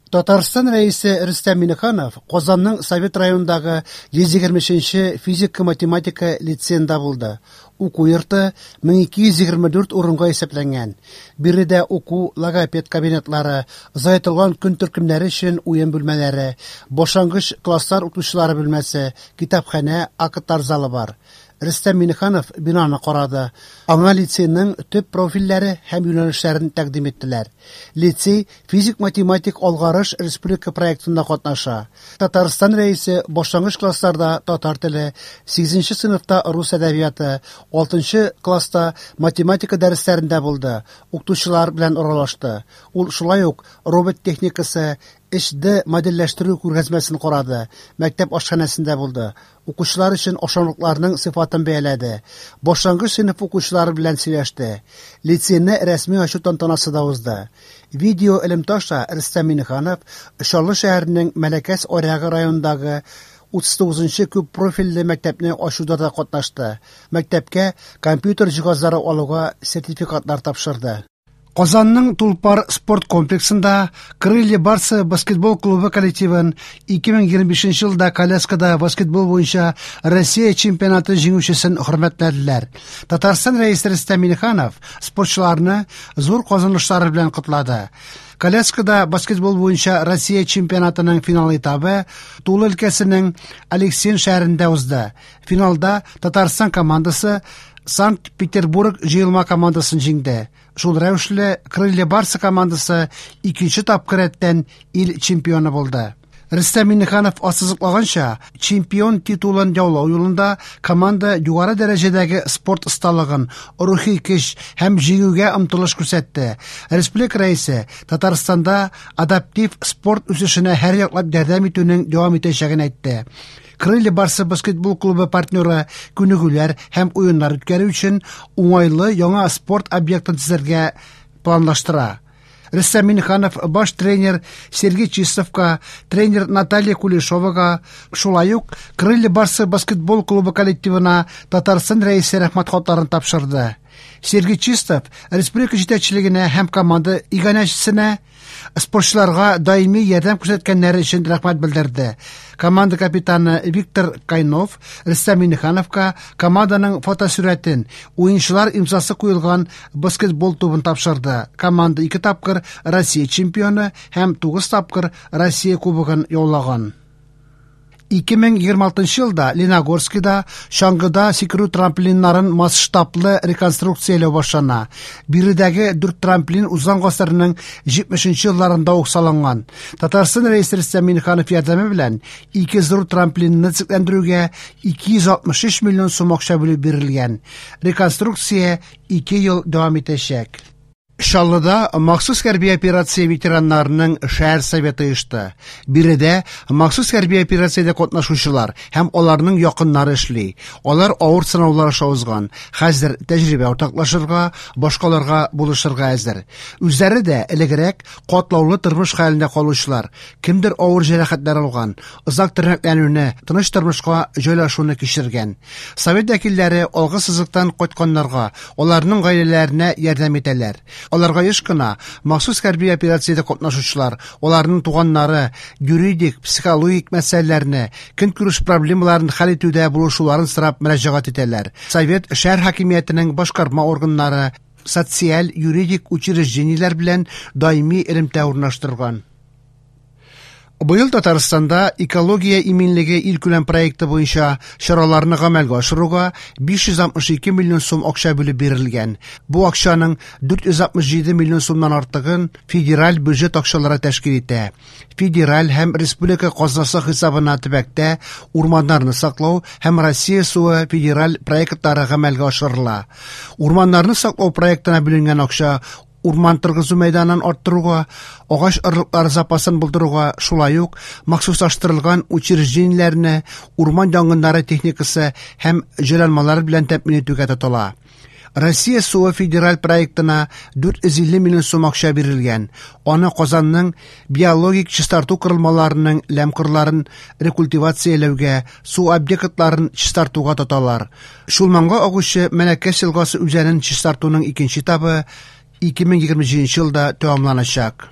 Татарстан Рәисе Рөстәм Миңнеханов Казанның Совет районындагы 123 нче физика-математика лицеенда булды. Уку йорты 1224 урынга исәпләнгән. Биредә уку, логопед кабинетлары, озайтылган көн төркемнәре өчен уен бүлмәләре, башлангыч класслар укытучылары бүлмәсе, китапханә, актлар залы бар. Рөстәм Миңнеханов бинаны карады. Аңа лицейның төп профильләре һәм юнәлешләрен тәкъдим иттеләр. Лицей Физик-математик алгарыш республика проектында катнаша. Татарстан Рәисе башлангыч классларда татар теле, сигезенче сыйныфта рус әдәбияты, алтынчы класста математика дәресләрендә булды, укытучылар белән аралашты. Ул шулай ук робот техникасы, 3D модельләштерү күргәзмәсен карады, мәктәп ашханәсендә булды, укучылар өчен ашамлыкларның сыйфатын бәяләде, башлангыч сыйныф укучылары белән сөйләште. Лицейны рәсми ачу тантанасы да узды. Видео элемтә аша Рөстәм Миңнеханов Чаллы шәһәренең Мәләкәс Аръягы районындагы 39 нчы күп профильле мәктәпне ачуда да катнашты, мәктәпкә компьютер җиһазлары алуга сертификатлар тапшырды. Казанның Тулпар спорт комплексында Крылья Барса баскетбол клубы коллективын 2025 елда коляскада баскетбол буенча Россия чемпионаты җиңүчесен хөрмәтләделәр. Татарстан Рәисе Рөстәм Миңнеханов спортчыларны зур казанышлары белән котлады. Коляскада баскетбол буенча Россия чемпионатының финал этабы Тула өлкәсенең Алексин шәһәрендә узды. Финалда Татарстан командасы Санкт-Петербург җыелма командасын җиңде. Шул рәвешле Крылья Барса командасы икенче тапкыр рәттән ил чемпионы булды. Рөстәм Миңнеханов ассызыклаганча, чемпион титулын яулау юлында команда югары дәрәҗәдәге спорт осталыгын, рухи көч һәм җиңүгә омтылыш күрсәтте. Республика Рәисе Татарстанда адаптив спорт үсешенә һәрьяклап ярдәм итүнең дәвам итәчәген әйтте. Крылья Барсы баскетбол клубы партнеры күнегүләр һәм уеннар үткәрү өчен уңайлы яңа спорт объектын төзергә планлаштыра. Рөстәм Миңнеханов баш тренер Сергей Чистовка, тренер Наталья Кулешовага, шулай ук Крылья Барсы баскетбол клубы коллективына Татарстан Рәисе рәхмәт хатларын тапшырды. Сергей Чистов республика җитәкчелегенә һәм команда иганәчесенә Спортчыларга даими ярдәм күрсәткәннәре өчен рәхмәт белдерде. Команда капитаны Виктор Кайнов Рөстәм Миңнехановка команданың фотосурәтен, уенчылар имзасы куелган баскетбол тубын тапшырды. Команда ике тапкыр Россия чемпионы һәм тугыз тапкыр Россия кубогын яулаган. 2026 елда Леногорскида чаңгыда сикерү трамплиннарын масштаблы реконструкцияләү башлана. Биредәге дүрт трамплин узган гасырның 70 елларында ук салынган. Татарстан Рәисе Рөстәм Миңнеханов ярдәме белән ике зур трамплинны төзекләндерүгә 263 миллион сум акча бүлеп бирелгән. Реконструкция ике ел дәвам итәчәк. Чаллыда махсус хәрби операция ветераннарының шәһәр советы оешты. Биредә махсус хәрби операциядә катнашучылар һәм аларның якыннары эшли. Алар авыр сынаулар аша узган, хәзер тәҗрибә уртаклашырга, башкаларга булышырга әзер. Үзләре дә элегрәк катлаулы тормыш хәлендә калучылар, кемдер авыр җәрәхәтләр алган, озак тернәкләнүне, тыныч тормышка җайлашуны кичергән. Совет вәкилләре алгы сызыктан кайтканнарга, аларның гаиләләренә ярдәм итәләр. Аларга еш кына махсус хәрби операциядә катнашучылар, аларның туганнары юридик, психологик мәсьәләләрне, көнкүреш проблемаларын хәл итүдә булышуларын сорап мөрәҗәгать итәләр. Совет шәһәр хакимиятенең башкарма органнары, социаль, юридик учреждениеләр белән даими элемтә урнаштырган. Быел Татарстанда экология иминлеге илкүләм проекты буенча чараларны гамәлгә ашыруга 562 миллион сум акча бүлеп бирелгән. Бу акчаның 467 миллион сумнан артыгын федераль бюджет акчалары тәшкил итә. Федераль һәм республика казнасы хисабына төбәктә урманнарны саклау һәм Россия суы федераль проектлары гамәлгә ашырыла. Урманнарны саклау проектына бүленгән акча урман торгызу мәйданын арттыруга, агач орлыклары запасын булдыруга, шулай ук махсуслаштырылган учреждениеләрне урман янгыннары техникасы һәм җайланмалар белән тәэмин итүгә тотыла. Россия суы федераль проектына 450 миллион сум акча бирелгән. Аны Казанның биологик чистарту корылмаларының ләм кырларын рекультивацияләүгә, су объектларын чистартуга тоталар. Чулманга агучы Мәләкәс елгасы үзәнен чистартуның икенче этабы 2027 елда тәмамланачак.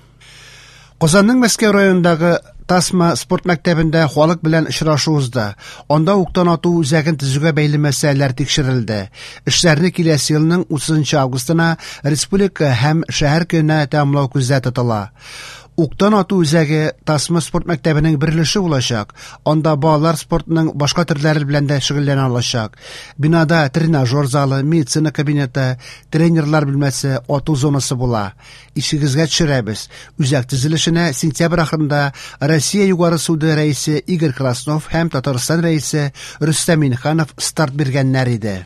Казанның Мәскәү районындагы Тасма спорт мәктәбендә халык белән очрашу узды. Анда уктан ату үзәген төзүгә бәйле мәсьәләләр тикшерелде. Эшләрне киләсе елның 30 августына республика һәм шәһәр көненә тәмамлау күздә тотыла. Уктан ату үзәге Тасма спорт мәктәбенең бер өлеше булачак. Анда балалар спортының башка төрләре белән дә шөгыльләнә алачак. Бинада тренажер залы, медицина кабинеты, тренерлар бүлмәсе, ату зонасы була. Исегезгә төшерәбез, үзәк төзелешенә сентябрь ахырында Россия Югары суды рәисе Игорь Краснов һәм Татарстан рәисе Рөстәм Миңнеханов старт биргәннәр иде.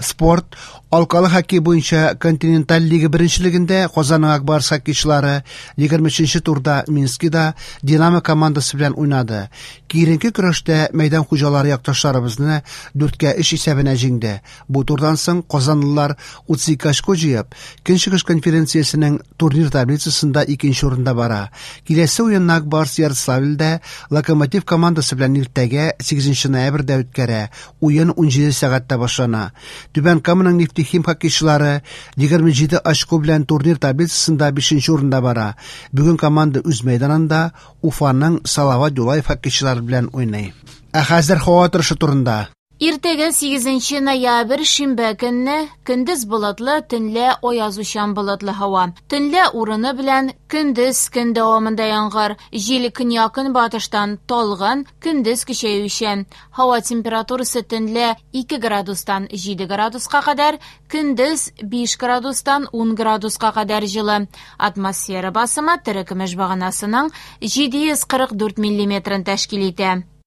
Спорт алкалы хоккей буенча континенталь лига беренчелегендә Казанның Ак Барс хоккейчылары 23 турда Минскида Динамо командасы белән уйнады. Киеренке көрәштә мәйдан хуҗалары якташларыбызны 4-3 исәбенә җиңде. Бу турдан соң казанлылар 32 очко җыеп, Көнчыгыш конференциясенең турнир таблицасында икенче урында бара. Киләсе уенны Ак Барс Ярославльдә Локомотив командасы белән иртәгә 8 ноябрьдә үткәрә. Уен 17 сәгатьтә башлана. Түбән Каманың Нефтехим хоккейчылары 27 очко белән турнир таблицасында 5 урында бара. Бүген команда үз мәйданында Уфаның Салават Юлаев хоккейчылары белән уйный. Ә хәзер һава торышы турында. Иртәгә 8 ноябрь шимбә көнне көндез болытлы, төнлә аязучан болытлы һава. Төнлә урыны белән көндез көн дәвамында яңгыр, җил көньяк-көнбатыштан талгын, көндез көчәючән. Һава температурасы төнлә 2 градустан 7 градуска кадәр, көндез 5 градустан 10 градуска кадәр җылы. Атмосфера басымы терекөмеш баганасының 744 миллиметрын тәшкил итә.